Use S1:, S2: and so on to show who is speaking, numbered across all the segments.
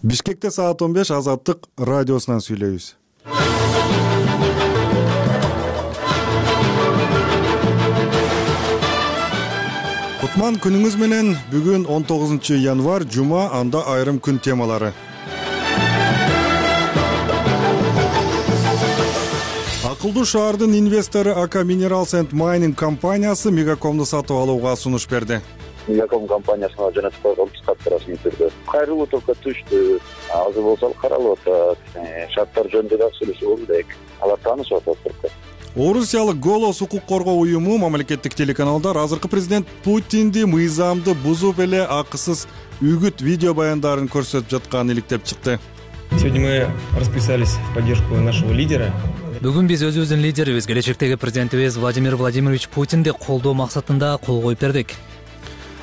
S1: Бишкекте саат 15 Азаттык радиосунан сүйлөйбүз. Кутман күнүңүз менен. Бүгүн 19 январь, жума, анда айрым күн темалары. Акылдуу шаардын инвестору АК Minerals and Mining компаниясы Мегакомду сатып алууга сунуш берди.
S2: Мегаком компаниясына жөнөтүп койгон каты расмий түрдө. Кайрылуу только түштү. Азыр болсо каралып атат. Шарттар жөнүндө да сүйлөшүп болду дейт. Алар таанышып атат.
S1: Орусиялык Голос укук коргоо уюму мамлекеттик телеканалдар азыркы президент Путинди мыйзамды бузуп эле акысыз үгүт видео баяндарын көрсөтүп жатканын иликтеп чыкты.
S3: Сегодня мы расписались в поддержку нашего лидера.
S4: Бүгүн биз өзүбүздүн лидерибиз, келечектеги президентибиз Владимир Владимирович Путинди колдоо максатында кол коюп бердик.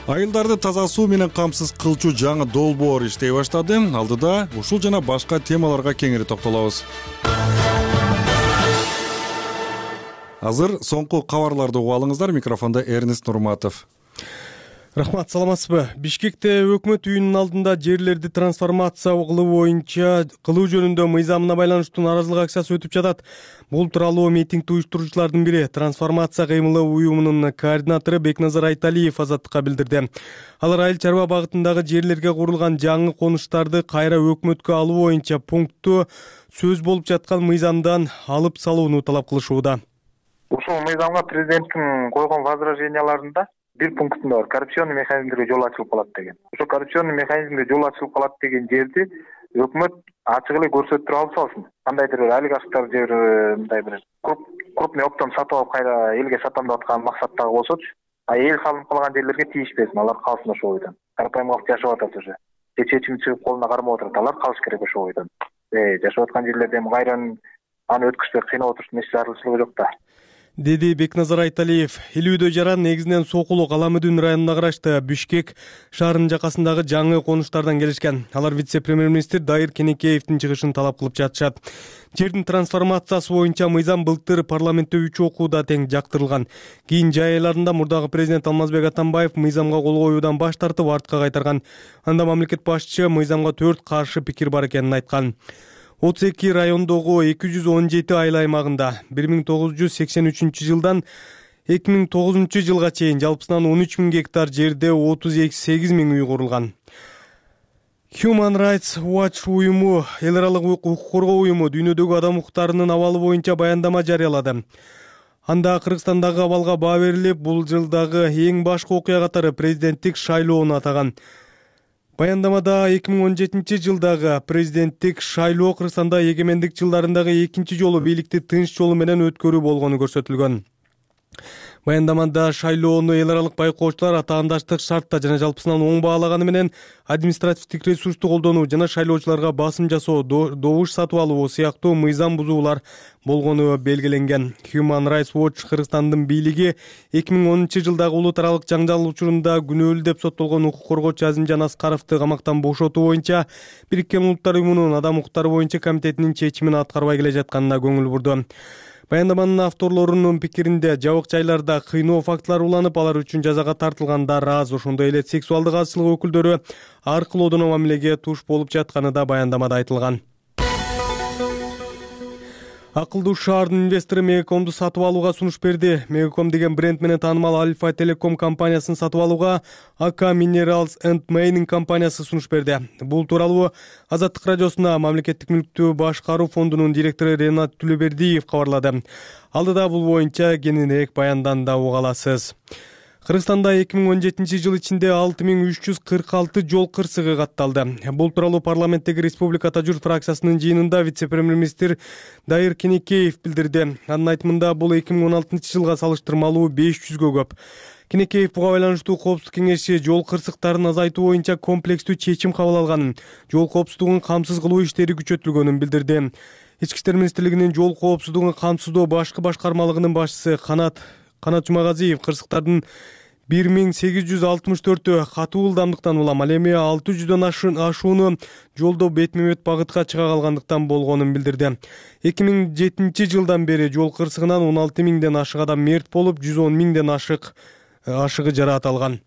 S1: Айылдарды таза суу менен камсыз кылчу жаңы долбоор иштей баштады. Алдыда ушул жана башка темаларга кеңири токтолобуз. Азыр соңку кабарларды угуп алыңыздар. Микрофондо Эрнест Нурматов.
S5: Рахмат, саламатсызбы? Бишкекте өкмөт үйүнүнүн алдында жерлерди трансформация кылуу жөнүндө мыйзамына байланыштуу нааразылык акциясы өтүп жатат. Бул тууралуу митингди уюштуруучулардын бири трансформация кыймылы уюмунун координатору Бекназар Айталиев Азаттыкка билдирди. Алар айыл чарба багытындагы жерлерге курулган жаңы конуштарды кайра өкмөткө алуу боюнча пунктту сөз болуп жаткан мыйзамдан алып салууну талап кылышууда.
S6: Ушул мыйзамга президенттин койгон возраженияларында бир пунктунда бар, коррупционный механизмге жол ачылып калат деген. Ошо коррупционный механизмге жол ачылып калат деген жерди өкмөт ачык эле көрсөтүп алып салсын. Кандайдыр бир олигархтар же мындай бир крупный оптом сатып алып кайра элге сатам деп аткан максаттагы болсочу, эл салынып калган жерлерге тийишпесин, алар калсын ошол бойдон. Карапайым калк жашап атат уже. Чечим чыгып колуна кармап атат, алар калыш керек ошол бойдон. Жашап аткан жерлерде кайран аны өткүзбөй кыйнап отуруштун эч зарылчылыгы жок да.
S5: Деди Бекназар Айталиев. Илүүдө жаран негизинен Сокулук Аламүдүн районуна карашты Бишкек шаарынын жакасындагы жаңы конуштардан келишкен. Алар вице-премьер-министр Дайыр Кенекеевдин чыгышын талап кылып жатышат. Жердин трансформациясы боюнча мыйзам былтыр парламентте 3 окууда тең жактырылган. Кийин жай айларында мурдагы президент Алмазбек Атамбаев мыйзамга кол коюудан баш тартып артка кайтарган. Анда мамлекет башчысы мыйзамга 4 каршы пикир бар экенин айткан. 32 райондогу 217 айыл аймагында 1983 жылдан 2009 жылга чейин жалпысынан 13 000 гектар жерде 38 000 үй курулган. Human Rights Watch уюму, эл аралык укук коргоо уюму дүйнөдөгү адам укуктарынын абалы боюнча баяндама жарыялады. Анда Кыргызстандагы абалга баа берилип, бул жылдагы эң башкы окуя катары президенттик шайлоону атаган. Баяндамада 2017 жылдагы президенттик шайлоо Кыргызстанда эгемендик жылдарындагы экинчи жолу бийликти тынч жолу менен өткөрүү болгону көрсөтүлгөн. Баяндамада шайлоону эл аралык байкоочулар атаандаштык шартта жана жалпысынан оң баалаганы менен административдик ресурсту колдонуу жана шайлоочуларга басым жасоо, добуш сатып алуу сыяктуу мыйзам бузуулар болгону белгиленген. Human Rights Watch Кыргызстандын бийлиги 2010 жылдагы улут аралык жаңжал учурунда күнөөлүү деп соттолгон укук коргоочу Азимжан Аскаровду камактан бошотуу боюнча Бириккен Улуттар уюмунун адам укуктары боюнча комитетинин чечимин аткарбай келе жатканына көңүл бурду. Баяндаманын авторлорунун пикиринде жабык жайларда кыйноо фактылары уланып, алар үчүн жазага тартылгандар аз. Ошондой эле сексуалдык азчылык өкүлдөрү ар кылоодон мамилеге туш болуп жатканы да баяндамада айтылган. Акылдуу шаардын инвестору Мегакомду сатып алууга сунуш берди. Мегаком деген бренд менен таанымал Альфа Телеком компаниясын сатып алууга АК Minerals and Mining компаниясы сунуш берди. Бул тууралуу Азаттык радиосуна мамлекеттик мүлктү башкаруу фондунун директору Ренат Түлөбердиев кабарлады. Алдыда бул боюнча кененирээк баянданда уга аласыз. Кыргызстанда 2017 жыл ичинде 6346 жол кырсыгы катталды. Бул тууралуу парламенттеги Республика Журт фракциясынын жыйынында вице-премьер-министр Дайыр Кенекеев билдирди. Анын айтымында бул 2016 жылга салыштырмалуу 500гө көп. Кенекеев буга байланыштуу Коопсуздук кеңеши жол кырсыктарын азайтуу боюнча комплекстүү чечим кабыл алганын, жол коопсуздугун камсыз кылуу иштери күчөтүлгөнүн билдирди. Ички иштер министрлигинин жол коопсуздугун камсыздоо башкы башкармалыгынын башчысы Канат Жумагазиев кырсыктардын 1864 катуу ылдамдыктан улам, ал эми 600дөн ашууну жолдо бетме-бет багытка чыга калгандыктан болгонун билдирди. 2007 жылдан бери жол кырсыгынан 16 000ден ашык адам мерт болуп, 110 000ден ашыгы жараат алган.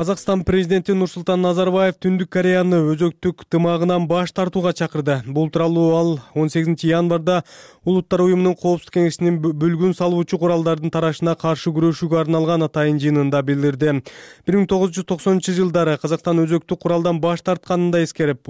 S5: Казакстан президенти Нурсултан Назарбаев Түндүк Кореяны өзөктүк тымагынан баш тартууга чакырды. Бул тууралуу ал 18 январда Улуттар уюмунун Коопсуздук кеңешинин бөлгүн салуучу куралдардын тарашына каршы күрөшүүгө арналган атайын жыйынында билдирди. 1990-жылдары Казакстан өзөктүк куралдан баш тартканын да эскерип,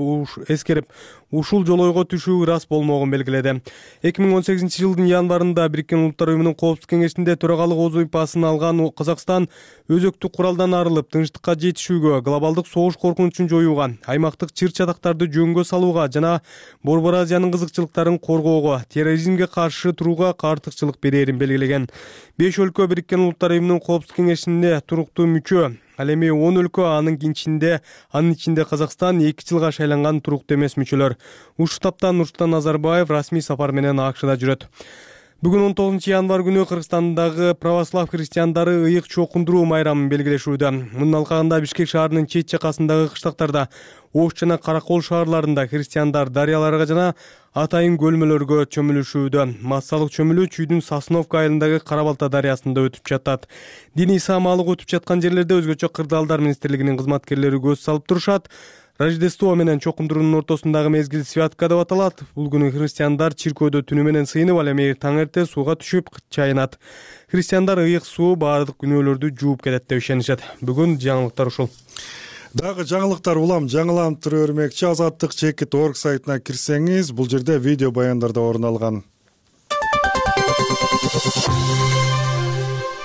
S5: ушул жолойго түшүү ырас болмогун белгиледи. 2018-жылдын январында Бириккен Улуттар уюмунун Коопсуздук кеңешинде төрагалык вазыйфасын алган Казакстан өзөктүк куралдан арылып, тынчтыкка жетишүүгө, глобалдык согуш коркунучун жоюуга, аймактык чыр-чатактарды жөнгө салууга жана Борбор Азиянын кызыкчылыктарын коргоого, терроризмге каршы турууга артыкчылык берерин белгилеген. 5 өлкө Бириккен Улуттар уюмунун Коопсуздук кеңешинде туруктуу мүчө. Ал эми 10 өлкө анын ичинде Казакстан 2 жылга шайланган туруктуу эмес мүчөлөр. Ушул таптан Нурсултан Назарбаев расмий сапар менен АКШда жүрөт. Бүгүн 19 январ күнү Кыргызстандагы православ христиандары ыйык чокундуруу майрамын белгилешүүдө. Мунун алкагында Бишкек шаарынын чет жакасындагы кыштактарда, Ош жана Каракол шаарларында христиандар дарыяларга жана атайын көлмөлөргө чөмүлүшүүдө. Массалык чөмүлүү Чүйдүн Сосновка айылындагы Карабалта дарыясында өтүп жатат. Диний саамалык өтүп жаткан жерлерде өзгөчө кырдаалдар министрлигинин кызматкерлери көз салып турушат. Рождество менен чокундуруунун ортосундагы мезгил святка деп аталат. Бул күнү христиандар чиркөөдө түнү менен сыйынып, ал эми таң эрте сууга түшүп чайынат. Христиандар ыйык суу баардык күнөөлөрдү жууп кетет деп ишенишет. Бүгүн жаңылыктар ушул.
S1: Дагы жаңылыктар улам жаңыламтыр өрмекчи azattik.org сайтына кирсеңиз, бул жерде видео баяндарда орун алган.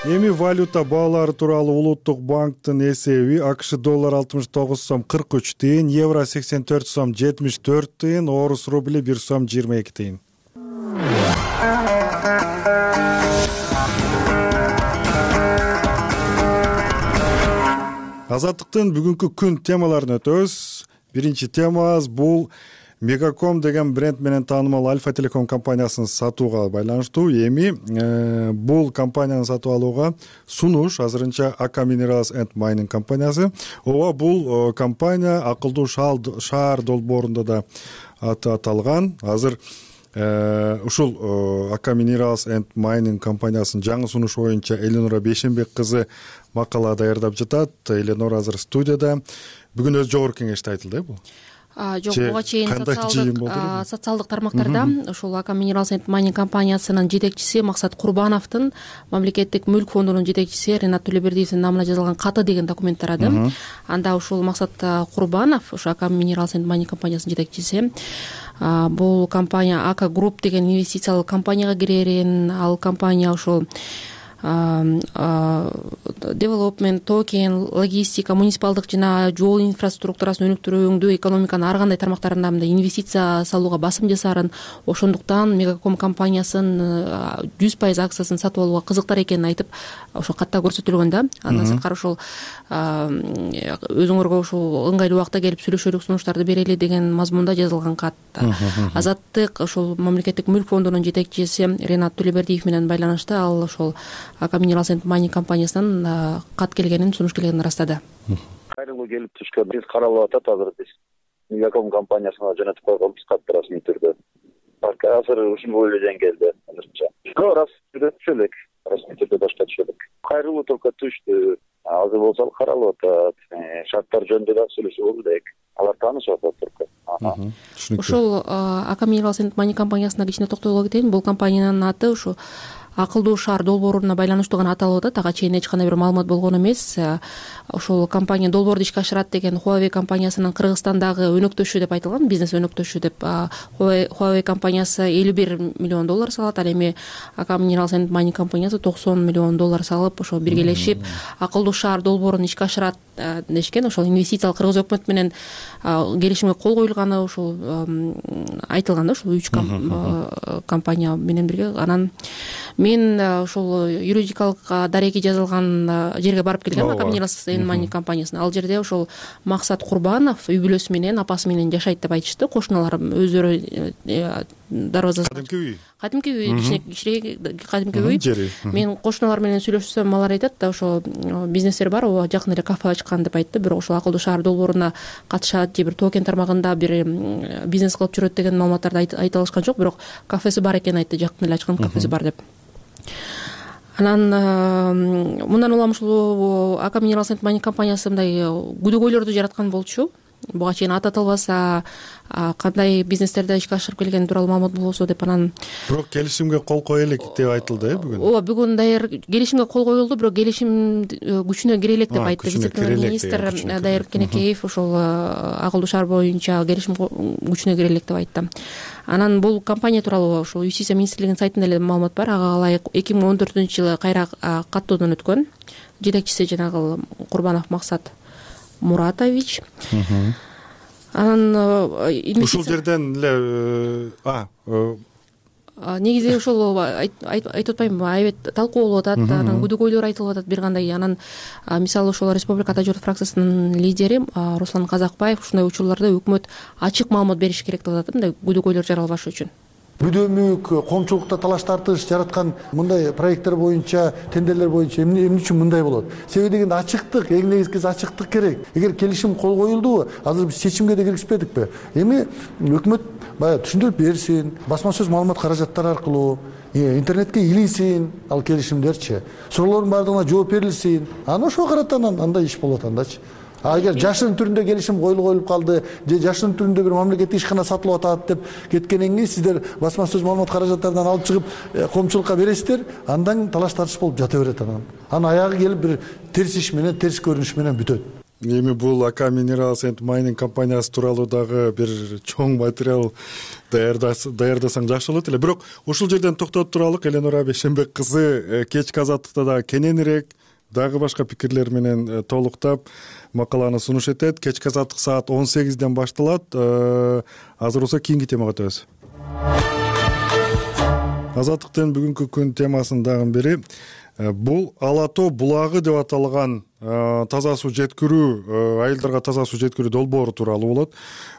S1: Эми валюта баалары тууралуу Улуттук банктын эсеби АКШ доллар 69 сом 43 тыйын, евро 84 сом 74 тыйын, орус рубли 1 сом 22 тыйын. Азаттыктын бүгүнкү күн темаларын өтөбүз. Биринчи темабыз бул Мегаком деген бренд менен таанымал Альфа Телеком компаниясын сатууга байланыштуу. Эми бул компанияны сатып алууга сунуш азырынча Ака Minerals and Mining компаниясы. Ооба, бул компания акылдуу шаар долбоорунда да аты аталган. Азыр ушул Ака Minerals and Mining компаниясынын жаңы сунушу боюнча Эленора Бейшенбек кызы макала даярдап жатат. Эленора азыр студияда. Бүгүн өз жогорку кеңеште айтылды бул.
S7: Жок, буга чейин социалдык тармактарда ушул Ака Minerals and Mining компаниясынын жетекчиси Максат Курбановдун мамлекеттик мүлк фондунун жетекчиси Ренат Төлөбердиевдин намына жазылган каты деген документ тарады. Анда ушул Максат Курбанов, ушул Ака Minerals and Mining компаниясынын жетекчиси, бул компания Ака Group деген инвестициялык компанияга кирерин, ал компания ушул development, токен, логистика, муниципалдык жана жол инфраструктурасын өнүктүрүүгө, экономиканын ар кандай тармактарында инвестиция салууга басым жасаарын, ошондуктан Мегаком компаниясынын 100% акциясын сатып алууга кызыктар экенин айтып, ошо катта көрсөтүлгөн да. Андан сырткары ушул өзүңөргө ушул ыңгайлуу убакта келип сүйлөшөлүк, сунуштарды берели деген мазмунда жазылган кат. Азаттык ушул мамлекеттик мүлк фондунун жетекчиси Ренат Төлөбердиев менен байланышта ал ошол Ака Minerals and Mining компаниясынан кат келгенин, сунуш келгенин ырастады.
S2: Кайрылуу келип түшкөн. Биз каралып атат азыр биз Мегаком компаниясына жөнөтүп койгонбуз катты расмий түрдө. Азыр ушул бойлойдон келди азырча. Расмий түрдө башка түшөлүк. Кайрылуу только түштү. Азыр болсо каралып атат. Шарттар жөнүндө да сүйлөшүү болду дейк. Алар таанышып атат только.
S7: Ушул Ака Minerals and Mining компаниясына кичине токтоло кетейин. Бул компаниянын аты ушу акылдуу шаар долбооруна байланыштуу гана аталып атат. Ага чейин эч кандай бир маалымат болгон эмес. Ошол компания долбоорду ишке ашырат деген Huawei компаниясынын Кыргызстандагы өнөктөшү деп айтылган, бизнес өнөктөшү деп. Huawei компаниясы $51 миллион салат, ал эми Ака Minerals and Mining компаниясы $90 миллион салып, ошо биргелешип акылдуу шаар долбоорун ишке ашырат дешкен. Ошол инвестициялык кыргыз өкмөтү менен келишимге кол коюлганы ушул айтылган да, ушул 3 компания менен бирге. Анан мен ушул юридикалык дареги жазылган жерге барып келгем, Ака Minerals and Mining компаниясына. Ал жерде ошол Максат Курбанов үй бүлөсү менен, апасы менен жашайт деп айтышты. Кошуналарым өздөрү дарбазасында. Кадимки үй, кичине кадимки үй. Мен кошуналар менен сүйлөшсөм, алар айтат да, ошо бизнестер бар, жакын эле кафе ачкан деп айтты. Бирок ошол акылдуу шаар долбооруна катышат же бир токен тармагында бир бизнес кылып жүрөт деген маалыматтарды айта алышкан жок, бирок кафеси бар экенин айтты, жакын эле ачкан кафеси бар деп. Анан мындан улам ушул Ака Минералс энд Майнинг компаниясы мындай күдөгөйлөрдү жараткан болчу. Буга чейин аты аталбаса кандай бизнестерди ишке ашырып келгени тууралуу маалымат болбосо деп. Анан
S1: бирок келишимге кол кое элек деп айтылды бүгүн.
S7: ооба, бүгүн даяр келишимге кол коюлду, бирок келишим күчүнө кире элек деп айтты вице-премьер-министр Дайыр Кенекеев. Ошол акылдуу шаар боюнча келишим күчүнө кире элек деп айтты. Анан бул компания тууралуу ушул Юстиция министрлигинин сайтында эле маалымат бар. Ага ылайык 2014-жылы кайра каттоодон өткөн. Жетекчиси жанагы Курбанов Максат Муратович. Анан
S1: ушул жерден эле
S7: негизи ошол айтып атпаймынбы, аябет талкуу болуп атат, анан күдөгөйлөр айтылып атат бир кандай. Анан мисалы ошол Республика Ата журт фракциясынын лидери Руслан Казакбаев ушундай учурларда өкмөт ачык маалымат бериш керек деп атат, мындай күдөгөйлөр жаралбаш үчүн.
S8: Бүдөмүк, коомчулукта талаш тартыш жараткан мындай проекттер боюнча, тендерлер боюнча эмне үчүн мындай болот? Себеби дегенде ачыктык, эң негизгиси ачыктык керек. Эгер келишим кол коюлдубу, азыр биз чечимге да киришпедикпи? Эми өкмөт баягы түшүндүрүп берсин, басма сөз маалымат каражаттары аркылуу интернетке илинсин ал келишимдерчи. Суроолордун баардыгына жооп берилсин. Анан ошого карата андай иш болот андачы. Эгер жашырын түрүндө келишим коюлуп калды, же жашырын түрүндө бир мамлекеттик ишкана сатылып атат деп кеткенден кийин сиздер басма сөз маалымат каражаттарынан алып чыгып коомчулукка бересиздер, андан талаш тартыш болуп жата берет. Анан аягы келип бир терс иш менен, терс көрүнүш менен бүтөт.
S1: Эми бул Ака Минералс энд Майнинг компаниясы тууралуу дагы бир чоң материал даярдасаң жакшы болот эле. Бирок ушул жерден токтоп туралык. Эленора Бейшенбек кызы кечки азаттыкта дагы кененирээк дагы башка пикирлер менен толуктап макаланы сунуш этет. Кечки азаттык саат 18-ден башталат. Азыр болсо кийинки темага өтөбүз. Азаттыктын бүгүнкү күн темасынын дагы бири бул Ала Тоо булагы деп аталган таза суу жеткирүү, айылдарга таза суу жеткирүү долбоору тууралуу болот.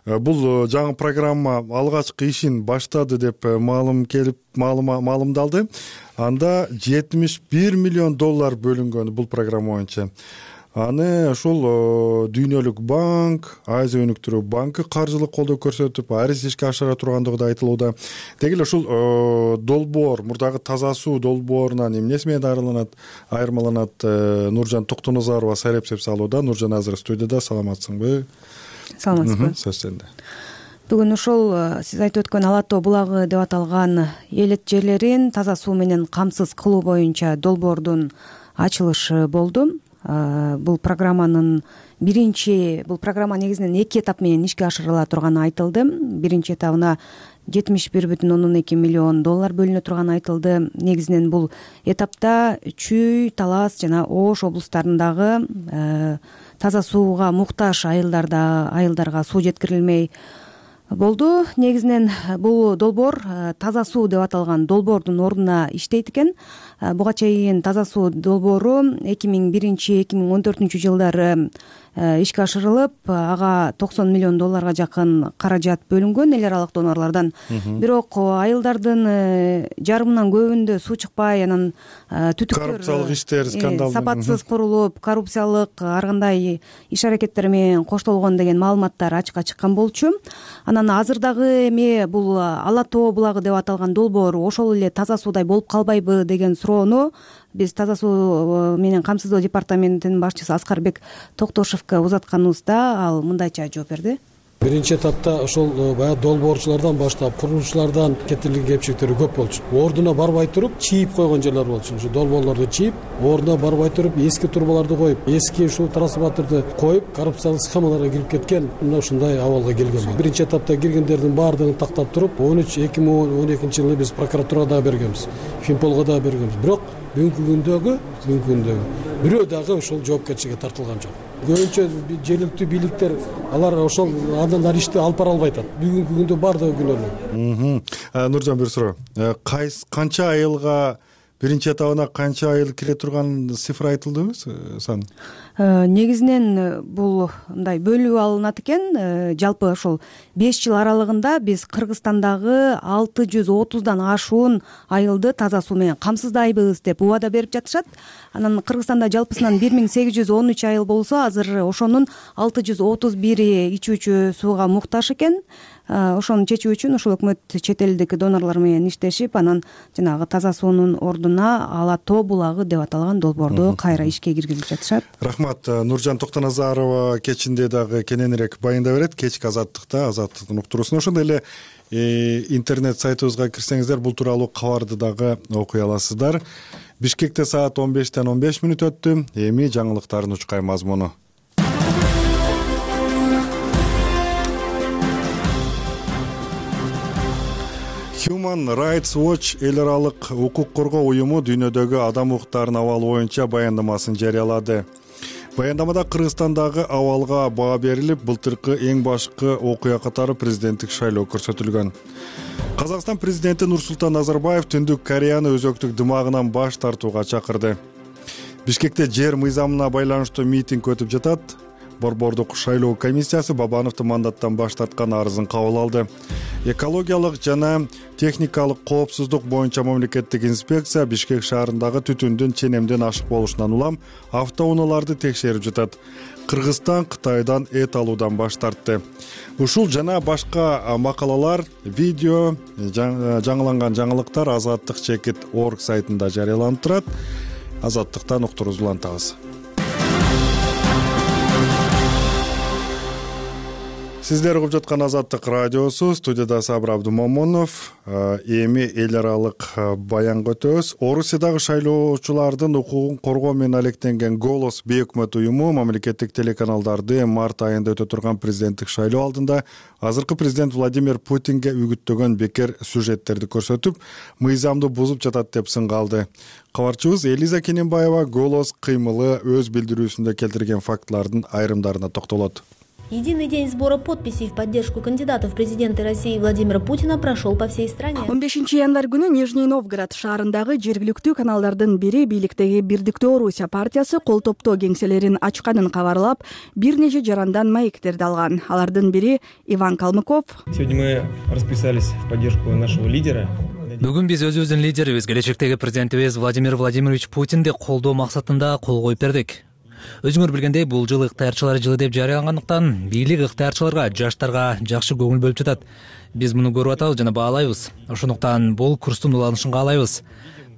S1: Бул жаңы программа алгачкы ишин баштады деп маалымдалды. Анда $71 миллион бөлүнгөн бул программа боюнча. Аны ушул Дүйнөлүк банк, Азия өнүктүрүү банкы каржылык колдоо көрсөтүп, арыз ишке ашыра тургандыгы да айтылууда. Деги эле ушул долбоор, мурдагы таза суу долбоорунан эмнеси менен айырмаланат? Нуржан Токтоназарова сайреп салууда. Нуржан азыр студияда. Саламатсыңбы?
S9: Саламатсызбы?
S1: Сөз сенде.
S9: Бүгүн ушул сиз айтып өткөн Ала Тоо булагы деп аталган элет жерлерин таза суу менен камсыз кылуу боюнча долбоордун ачылышы болду. Бул программа негизинен 2 этап менен ишке ашырыла турганы айтылды. Биринчи этабына $71,2 миллион бөлүнө турганы айтылды. Негизинен бул этапта Чүй, Талас жана Ош облустарындагы таза сууга муктаж айылдарга суу жеткирилмей болду. Негизинен бул долбоор таза суу деп аталган долбоордун ордуна иштейт экен. Буга чейин таза суу долбоору 2001-2014 жылдары ишке ашырылып, ага $90 миллион жакын каражат бөлүнгөн эл аралык донорлордон. Бирок айылдардын жарымынан көбүндө суу чыкпай, анан түтүктөр,
S1: коррупциялык иштер, скандал,
S9: сапатсыз курулуп, коррупциялык ар кандай иш аракеттер менен коштолгон деген маалыматтар ачыкка чыккан болчу. Анан азыр дагы эми бул Ала Тоо булагы деп аталган долбоор ошол эле таза суудай болуп калбайбы деген суроону биз таза суу менен камсыздоо департаментинин башчысы Аскарбек Токтошевго узатканыбызда ал мындайча жооп берди.
S10: Биринчи этапта ошол баягы долбоорчулардан баштап, курулуучулардан кетирилген кемчиликтер көп болчу. Ордуна барбай туруп, чийип койгон жерлер болчу. Ушу долбоорлорду чийип, ордуна барбай туруп, эски трубаларды коюп, эски ушул трансформаторду коюп, коррупциялык схемаларга кирип кеткен, мына ушундай абалга келген. Биринчи этапта киргендердин баардыгын тактап туруп, 2012-жылы биз прокуратурага да бергенбиз, Финполго да бергенбиз. Бирок бүгүнкү күндөгү бирөө дагы ошол жоопкерчиликке тартылган жок. Көбүнчө жергиликтүү бийликтер алар ошол андан ишти алып бара албай атат. Бүгүнкү күндө баардыгы күнөөлүү.
S1: Нуржан, бир суроо. Канча айылга, биринчи этабына канча айыл кире турган цифра айтылдыбы, сан?
S9: Негизинен бул мындай бөлүп алынат экен. Жалпы ошол 5 жыл аралыгында биз Кыргызстандагы 630дан ашуун айылды таза суу менен камсыздайбыз деп убада берип жатышат. Анан Кыргызстанда жалпысынан 1813 айыл болсо, азыр ошонун 631 ичүүчү сууга муктаж экен. ошону чечүү үчүн ушул өкмөт чет элдик донорлор менен иштешип, анан жанагы таза суунун ордуна Ала тоо булагы деп аталган долбоорду кайра ишке киргизип жатышат.
S1: Рахмат. Нуржан Токтоназарова кечинде дагы кененирээк баяндай берет. Кечки Азаттыктын уктуруусун. Ошондой эле интернет сайтыбызга кирсеңиздер бул тууралуу кабарды дагы окуй аласыздар. Бишкекте саат 15:15 өттү. Эми жаңылыктардын учкай мазмуну. Human Rights Watch эл аралык укук коргоо уюму дүйнөдөгү адам укуктарынын абалы боюнча баяндамасын жарыялады. Баяндамада Кыргызстандагы абалга баа берилип, былтыркы эң башкы окуя катары президенттик шайлоо көрсөтүлгөн. Казакстан президенти Нурсултан Назарбаев Түндүк Кореяны өзөктүк дымагынан баш тартууга чакырды. Бишкекте жер мыйзамына байланыштуу митинг өтүп жатат. Борбордук шайлоо комиссиясы Бабановдун мандаттан баш тарткан арызын кабыл алды. Экологиялык жана техникалык коопсуздук боюнча мамлекеттик инспекция Бишкек шаарындагы түтүндүн ченемден ашык болушунан улам автоунааларды текшерип жатат. Кыргызстан Кытайдан эт алуудан баш тартты. Ушул жана башка макалалар, видео, жаңыланган жаңылыктар Азаттык chekit.org сайтында жарыяланып турат. Азаттыктан уктуруубузду улантабыз. Сиздер угуп жаткан Азаттык радиосу, студияда Сабыр Абдумомунов. Эми эл аралык баянга өтөбүз. Орусиядагы шайлоочулардын укугун коргоо менен алектенген Голос бейөкмөт уюму мамлекеттик телеканалдарды март айында өтө турган президенттик шайлоо алдында азыркы президент Владимир Путинге үгүттөгөн бекер сюжеттерди көрсөтүп, мыйзамды бузуп жатат деп сынга алды. Кабарчыбыз Элиза Кененбаева Голос кыймылы өз билдирүүсүндө келтирген фактылардын айрымдарына токтолот.
S11: Единый день сбора подписей в поддержку кандидата в президенты России Владимира Путина прошел по всей стране.
S12: 15 январь күнү Нижний Новгород шаарындагы жергиликтүү каналдардын бири бийликтеги Бирдиктүү Орусия партиясы кол топтоо кеңселерин ачканын кабарлап, бир нече жарандан маектерди алган. Алардын бири Иван Калмыков.
S3: Сегодня мы расписались в поддержку нашего лидера.
S4: Бүгүн биз өзүбүздүн лидерибиз, келечектеги президентибиз Владимир Владимирович Путинди колдоо максатында кол коюп бердик. Өзүңөр билгендей, бул жыл ыктыярчылар жылы деп жарыялангандыктан бийлик ыктыярчыларга, жаштарга жакшы көңүл бөлүп жатат. Биз муну көрүп атабыз жана баалайбыз. Ошондуктан бул курстун уланышын каалайбыз.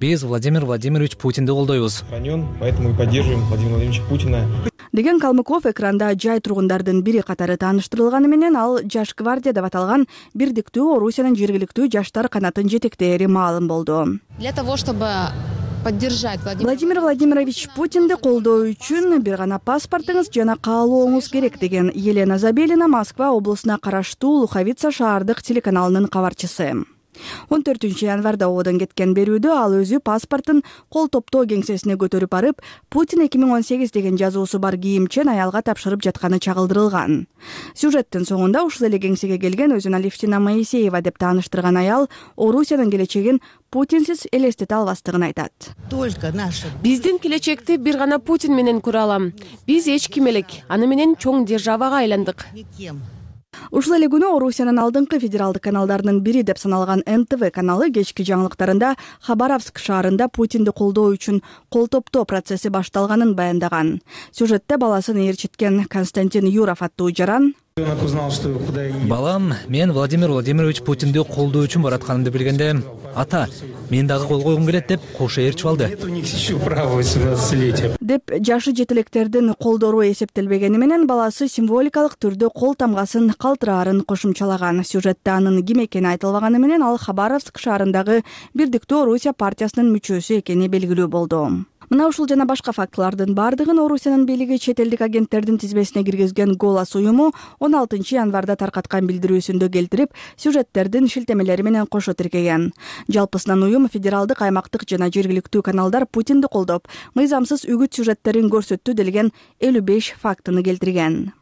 S4: Биз Владимир Владимирович Путинди колдойбуз.
S3: Поэтому и поддерживаем Владимира Владимировича Путина.
S12: Деген Калмыков экранда жай тургундардын бири катары тааныштырылганы менен ал Жаш гвардия деп аталган Бирдиктүү Орусиянын жергиликтүү жаштар канатын жетектээри маалым болду.
S11: Для того, чтобы поддержать
S12: Владимир Владимирович Путинди колдоо үчүн бир гана паспортуңуз жана каалооңуз керек, деген Елена Забелина Москва облусуна караштуу Луховица шаардык телеканалынын кабарчысы. 14 январда оодон кеткен берүүдө ал өзү паспортун кол топтоо кеңсесине көтөрүп барып, Путин 2018 деген жазуусу бар кийимчен аялга тапшырып жатканы чагылдырылган. Сюжеттин соңунда ушул эле кеңсеге келген өзүн Алевтина Моисеева деп тааныштырган аял Орусиянын келечегин Путинсиз элестете албастыгын айтат.
S13: Биздин келечекти бир гана Путин менен көрө алам. Биз эч ким элек, аны менен чоң державага айландык.
S12: Ушул эле күнү Орусиянын алдыңкы федералдык каналдарынын бири деп саналган НТВ каналы кечки жаңылыктарында Хабаровск шаарында Путинди колдоо үчүн кол топтоо процесси башталганын баяндаган. Сюжетте баласын ээрчиткен Константин Юров аттуу жаран:
S4: Балам, мен Владимир Владимирович Путинди колдоо үчүн баратканымды билгенде, ата, мен дагы кол койгум келет деп кошо ээрчип алды.
S12: Деп жашы жетилектердин колдору эсептелбегени менен баласы символикалык түрдө кол тамгасын калтыраарын кошумчалаган. Сюжетте анын ким экени айтылбаганы менен ал Хабаровск шаарындагы Бирдиктүү Орусия партиясынын мүчөсү экени белгилүү болду. Мына ушул жана башка фактылардын бардыгын Орусиянын бийлиги чет элдик агенттердин тизмесине киргизген Голос уюму 16 январда таркаткан билдирүүсүндө келтирип, сюжеттердин шилтемелери менен кошо тиркеген. Жалпысынан уюм федералдык, аймактык жана жергиликтүү каналдар Путинди колдоп, мыйзамсыз үгүт сюжеттерин көрсөттү делген 55 фактыны келтирген.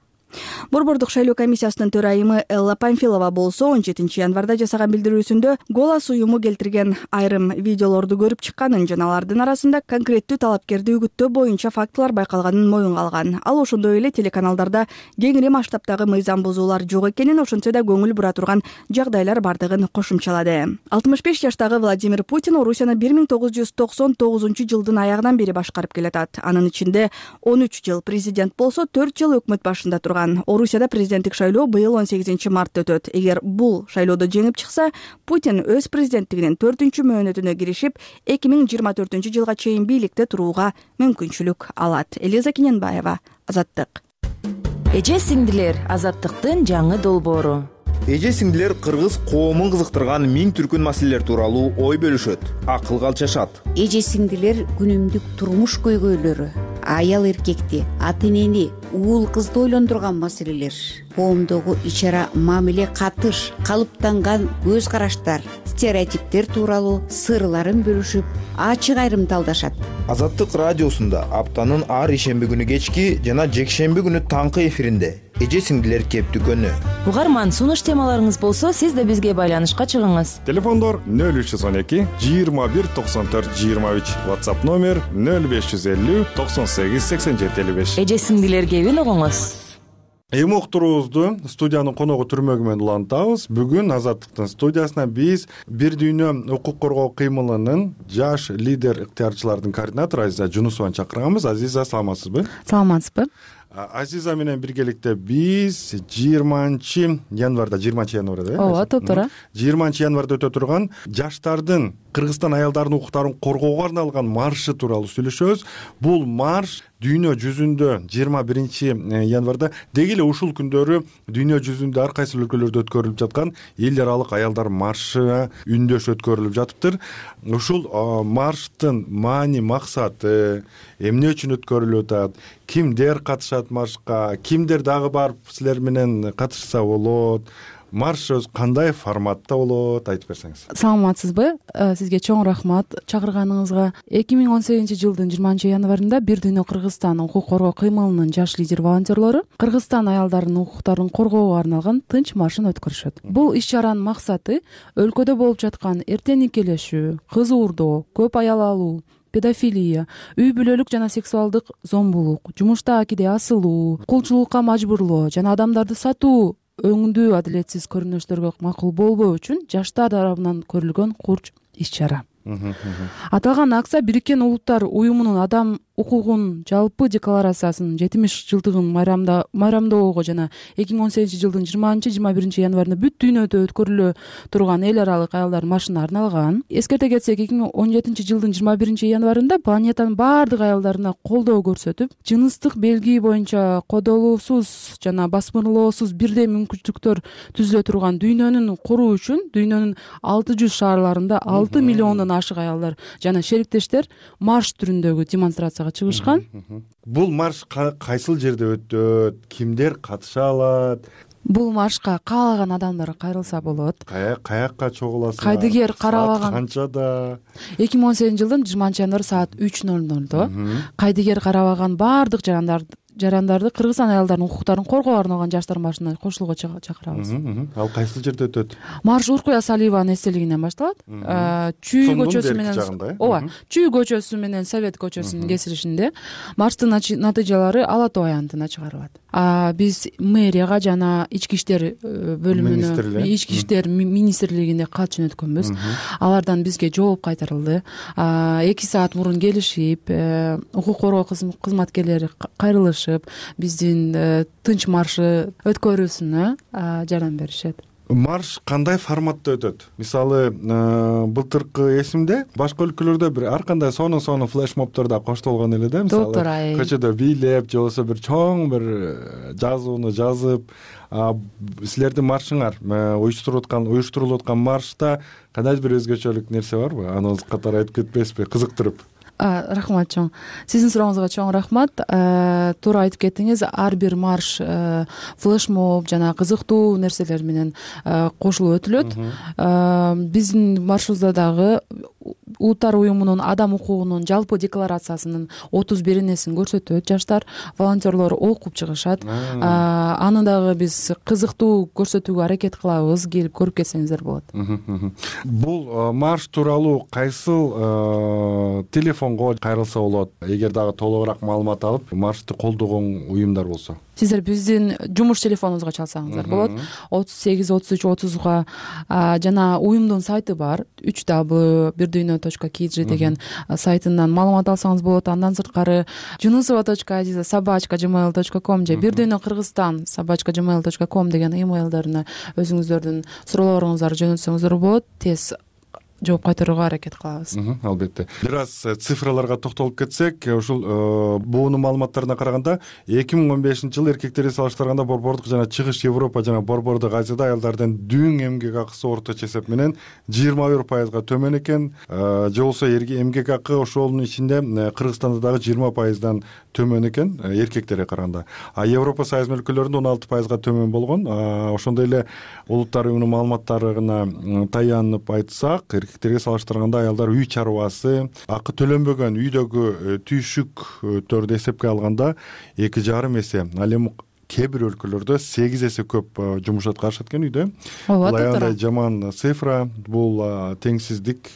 S12: Борбордук шайлоо комиссиясынын төрайымы Элла Памфилова болсо 17 январда жасаган билдирүүсүндө Голос уюму келтирген айрым видеолорду көрүп чыкканын жана алардын арасында конкреттүү талапкерди үгүттөө боюнча фактылар байкалганын моюнга алган. Ал ошондой эле телеканалдарда кеңири масштабтагы мыйзам бузуулар жок экенин, ошентсе да көңүл бура турган жагдайлар бардыгын кошумчалады. 65 жаштагы Владимир Путин Орусияны 1999-жылдын аягынан бери башкарып келатат. Анын ичинде 13 жыл президент болсо, 4 жыл өкмөт башында турган. турган. Орусияда президенттик шайлоо быйыл 18 мартта өтөт. Эгер бул шайлоодо жеңип чыкса, Путин өз президенттигинин 4-чү мөөнөтүнө киришип, 2024-жылга чейин бийликте турууга мүмкүнчүлүк алат. Элиза Кененбаева, Азаттык.
S14: Эже сиңдилер, Азаттыктын жаңы долбоору.
S15: Эже сиңдилер кыргыз коомун кызыктырган миң түркүн маселелер тууралуу ой бөлүшөт, акылга алчашат.
S16: Эже сиңдилер күнүмдүк турмуш көйгөйлөрү, аял эркекти, ата энени, уул кызды ойлондурган маселелер, коомдогу ич-ара мамиле катыш, калыптанган көз караштар, стереотиптер тууралуу сырларын бөлүшүп, ачык айрымдалдашат.
S15: Азаттык радиосунда аптанын ар ишемби күнү кечки жана жекшемби күнү таңкы эфиринде эже сиңдилер кептүкөнү.
S14: Угарман, сунуш темаларыңыз болсо, сиз да бизге байланышка чыгыңыз.
S1: Телефондор 0312 21 94 23, WhatsApp номер 0550 98 87 55.
S14: Эже сиңдилер кебин угуңуз.
S1: Эми уктуруубузду студиянын коногу түрмөгү менен улантабыз. Бүгүн Азаттыктын студиясына биз Бир дүйнө укук коргоо кыймылынын жаш лидер ыктыярчылардын координатору Азиза Жунусованы чакырганбыз. Азиза, саламатсызбы?
S9: Саламатсызбы.
S1: Азиза менен биргеликте биз 20 январда,
S9: ооба, топтора
S1: 20 январда өтө турган жаштардын Кыргызстан аялдарынын укуктарын коргоого арналган маршы тууралуу сүйлөшөбүз. Бул марш дүйнө жүзүндө 21 январда деги эле ушул күндөрү дүйнө жүзүндө ар кайсы өлкөлөрдө өткөрүлүп жаткан эл аралык аялдар маршы үндөш өткөрүлүп жатыптыр. Ушул марштын маани максаты, эмне үчүн өткөрүлүп атат, кимдер катышат маршка, кимдер дагы барып силер менен катышса болот, марш кандай форматта болот, айтып берсеңиз.
S17: Саламатсызбы? Сизге чоң рахмат чакырганыңызга. 2018-жылдын 20 январында Бир дүйнө Кыргызстан укук коргоо кыймылынын жаш лидер волонтерлору Кыргызстан аялдарынын укуктарын коргоого арналган тынч маршын өткөрүшөт. Бул иш-чаранын максаты өлкөдө болуп жаткан эртең никелешүү, кыз уурдоо, көп аял алуу, педофилия, үй бүлөлүк жана сексуалдык зомбулук, жумушта акиде асылуу, кулчулукка мажбурлоо жана адамдарды сатуу өңдүү адилетсиз көрүнүштөргө макул болбоо үчүн жаштар тарабынан көрүлгөн курч иш-чара. Аталган акция Бириккен Улуттар Уюмунун адам укугун жалпы декларациясынын 70-жылдыгын майрамдоого жана 2018-жылдын 20-21 январында бүт дүйнөдө өткөрүлө турган эл аралык аялдар маршына арналган. Эскерте кетсек, 2017-жылдын 21 январында планетанын баардык аялдарына колдоо көрсөтүп, жыныстык белги боюнча кодолуусуз жана басмырлоосуз бирдей мүмкүнчүлүктөр түзүлө турган дүйнөнү куруу үчүн дүйнөнүн 600 шаарларында 6 миллиондон ашык аялдар жана шериктештер марш түрүндөгү демонстрация чыгышкан.
S1: Бул марш кайсыл жерде өтөт, кимдер катыша алат?
S17: Бул маршка каалаган адамдар кайрылса болот.
S1: Каякка чогуласыңар?
S17: Кайдыгер карабаган.
S1: Канчада?
S17: 2018-жылдын 20 январь саат 3:00 кайдыгер карабаган баардык жарандарды Кыргызстан аялдарынын укуктарын коргоого арналган жаштар маршына кошулууга чакырабыз.
S1: Ал кайсыл жерде өтөт?
S17: Марш Уркуя Салиеванын эстелигинен башталат. Чүй көчөсү менен, Чүй көчөсү менен Совет көчөсүнүн кесилишинде. Марштын натыйжалары Ала Тоо аянтына чыгарылат. Биз мэрияга жана ички иштер бөлүмүнө, ички иштер министрлигине кат жөнөткөнбүз. Алардан бизге жооп кайтарылды. 2 саат мурун келишип, укук коргоо кызматкерлери кайрылышып, биздин тынч маршы өткөрүүсүнө жардам беришет.
S1: Марш кандай форматта өтөт? Мисалы, былтыркы эсимде башка өлкөлөрдө бир ар кандай сонун флешмобторда коштолгон эле да, мисалы көчөдө бийлеп же болбосо бир чоң бир жазууну жазып, силердин маршыңар уюштурулуп аткан маршта кандайдыр бир өзгөчөлүк нерсе барбы? Аны катары айтып кетпейсизби, кызыктырып?
S17: Рахмат чоң. Сиздин сурооңузга чоң рахмат. Туура айтып кеттиңиз. Ар бир марш флешмоб жана кызыктуу нерселер менен кошулуп өтүлөт. Биздин маршыбызда дагы Улуттар Уюмунун адам укугунун жалпы декларациясынын 31-несин көрсөтөт. Жаштар волонтерлор окуп чыгышат. Аны дагы биз кызыктуу көрсөтүүгө аракет кылабыз. Келип көрүп кетсеңиздер болот.
S1: Бул марш тууралуу кайсыл телефонго кайрылса болот? Эгер дагы толугураак маалымат алып, маршты колдогон уюмдар болсо.
S17: Сиздер биздин жумуш телефонубузга чалсаңыздар болот. 383330га жана уюмдун сайты бар. 3w1dunya.kg деген сайтынан маалымат алсаңыз болот. Андан сырткары junusova.aziza@gmail.com же birdunya-kыргызстан@gmail.com деген имейлдерине өзүңүздөрдүн суроолоруңуздарды жөнөтсөңүздөр болот. Тез жооп кайтарууга аракет кылабыз.
S1: Албетте. Бир аз цифраларга токтолуп кетсек, ушул буунун маалыматтарына караганда 2015-жылы эркектерге салыштырганда борбордук жана чыгыш Европа жана борбордук Азияда аялдардын дүң эмгек акысы орточо эсеп менен 21%га төмөн экен. Же болбосо эмгек акы ошонун ичинде Кыргызстанда дагы 20%дан төмөн экен эркектерге караганда. Европа Союз өлкөлөрүндө 16%га төмөн болгон. Ошондой эле Улуттар уюмунун маалыматтарына таянып айтсак, эркектерге салыштырганда аялдар үй чарбасы, акы төлөнбөгөн үйдөгү түйшүктөрдү эсепке алганда 2,5 эсе, ал эми кээ бир өлкөлөрдө 8 эсе көп жумуш аткарышат экен үйдө. Бул аялдар жаман цифра, бул теңсиздик,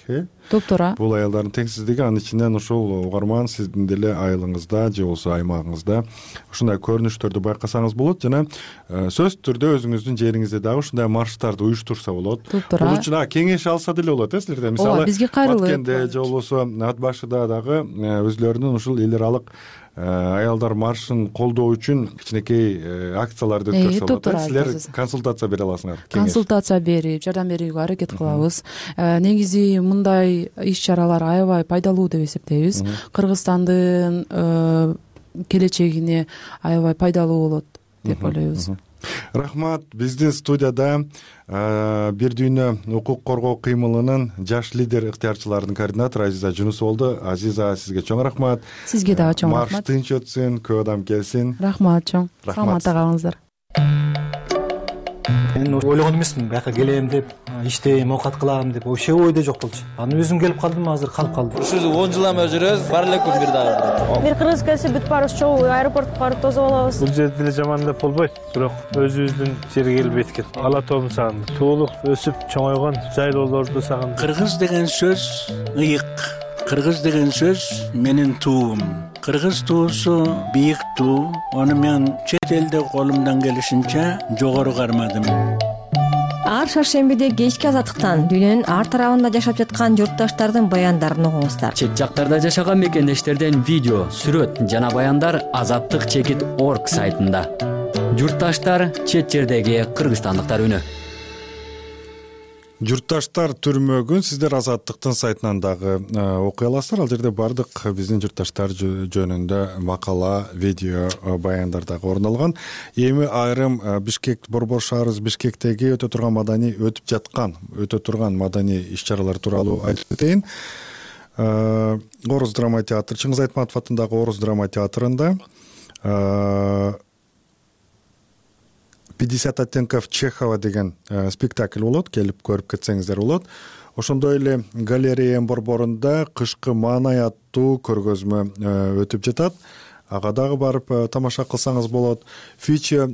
S17: Топтора.
S1: Бул аялдардын теңсиздиги, анын ичинен ушул угарман сиздин деле айылыңызда же болбосо аймагыңызда ушундай көрүнүштөрдү байкасаңыз болот жана сөзсүз түрдө өзүңүздүн жериңизде дагы ушундай марштарды уюштурса болот. Бул үчүн кеңеш алса деле болот, силерден. Мисалы, Баткенде же болбосо Ат башыда дагы өзлөрүнүн ушул эл аралык аялдар маршын колдоо үчүн кичинекей акцияларды өткөрсө болот. Силер консультация бере аласыңар.
S17: Консультация берип, жардам берүүгө аракет кылабыз. Негизи мындай иш-чаралар аябай пайдалуу деп эсептейбиз. Кыргызстандын келечегине аябай пайдалуу болот деп ойлойбуз.
S1: Рахмат. Биздин студияда Бир дүйнө укук коргоо кыймылынын жаш лидер ыктыярчыларынын координатору Азиза Жунусова болду. Азиза, сизге чоң рахмат.
S17: Сизге дагы чоң рахмат.
S1: Марш тынч өтсүн, көп адам келсин.
S17: Рахмат чоң. Саламатта калыңыздар.
S18: Мен ойлогон эмесмин, бияка келем деп, иштейм, оокат кылам деп, вообще ойдо жок болчу. Анан өзүм келип калдым, азыр калып калдым.
S19: Ушул 10 жылдан жүрөбүз, бар эле күн бир дагы.
S20: Бир кыргыз келсе бүт баарыбыз чогуу аэропортко барып тосуп алабыз.
S21: Бул жерде деле жаман деп болбойт, бирок өзүбүздүн жерге келип эткен. Ала тообун сагындым. Туулук өсүп чоңойгон жайлоолорду сагындым.
S22: Кыргыз деген сөз ыйык. Кыргыз деген сөз менин туум. Кыргыз туусу бийик туу. Аны мен чет элде колумдан келишинче жогору кармадым.
S23: Ар шаршембиде кечки азаттыктан дүйнөнүн ар тарабында жашап жаткан журтташтардын баяндарын угуңуздар.
S24: Чет жактарда жашаган мекендештерден видео, сүрөт жана баяндар azattik.org сайтында. Журтташтар чет жердеги кыргызстандыктар үнү.
S1: Журтташтар түрмөгүн сиздер Азаттыктын сайтынан дагы окуй аласыздар. Ал жерде бардык биздин журтташтар жөнүндө макала, видео, баяндар дагы орун алган. Эми айрым Бишкек, борбор шаарыбыз Бишкектеги өтө турган маданий иш-чаралар тууралуу айтып кетейин. Орус драма театры, Чыңгыз Айтматов атындагы Орус драма театрында 50 оттенков Чехова деген спектакль болот, келип көрүп кетсеңиздер болот. Ошондой эле галерея борборунда кышкы маанай аттуу көргөзмө өтүп жатат. Ага дагы барып тамаша кылсаңыз болот. Future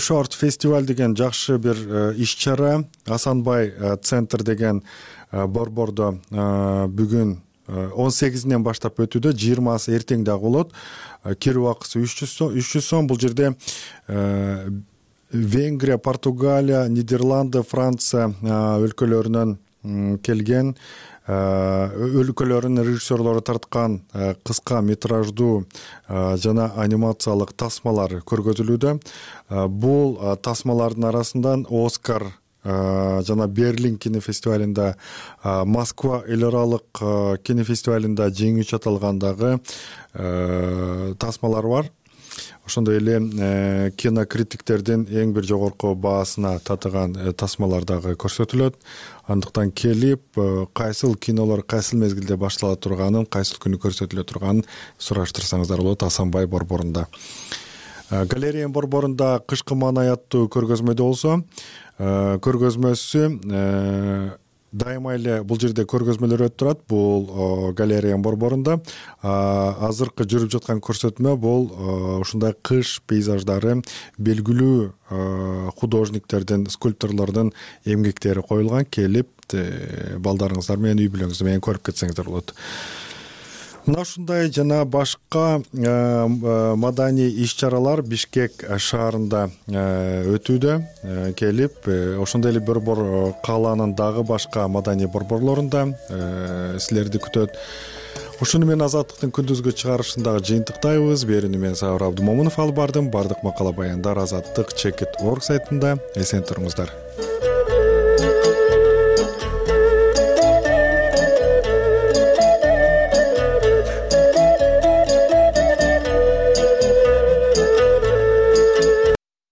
S1: Short фестиваль деген жакшы бир иш-чара Асанбай центр деген борбордо бүгүн 18-нен баштап өтүүдө, 20-сы эртең дагы болот. Кирүү акысы 300 сом. Бул жерде Венгрия, Португалия, Нидерланды, Франция өлкөлөрүнөн келген өлкөлөрүнүн режиссерлору тарткан кыска метраждуу жана анимациялык тасмалар көргөзүлүүдө. Бул тасмалардын арасынан Оскар жана Берлин кинофестивалында, Москва эл аралык кинофестивалында жеңүүчү аталгандагы тасмалар бар. Ошондой эле кинокритиктердин эң бир жогорку баасына татыган тасмалар дагы көрсөтүлөт. Андыктан келип, кайсыл кинолор кайсыл мезгилде баштала турганын, кайсыл күнү көрсөтүлө турганын сураштырсаңыздар болот Асанбай борборунда. Галерея борборунда кышкы маанай аттуу көргөзмөдө болсо, көргөзмөсү дайыма эле бул жерде көргөзмөлөр өтүп турат. Бул галерея борборунда азыркы жүрүп жаткан көрсөтмө бул ушундай кыш пейзаждары, белгилүү художниктердин, скульпторлордун эмгектери коюлган. Келип балдарыңыздар менен, үй бүлөңүз менен көрүп кетсеңиздер болот. мына ушундай жана башка маданий иш-чаралар Бишкек шаарында өтүүдө. Келип ошондой эле борбор калаанын дагы башка маданий борборлорунда силерди күтөт. Ушуну менен Азаттыктын күндүзгү чыгарышындагы жыйынтыктайбыз. Берүүнү мен Сабыр Абдымомунов алып бардым. Бардык макала баяндар Азаттык Чекит.org сайтында. Эсен туруңуздар.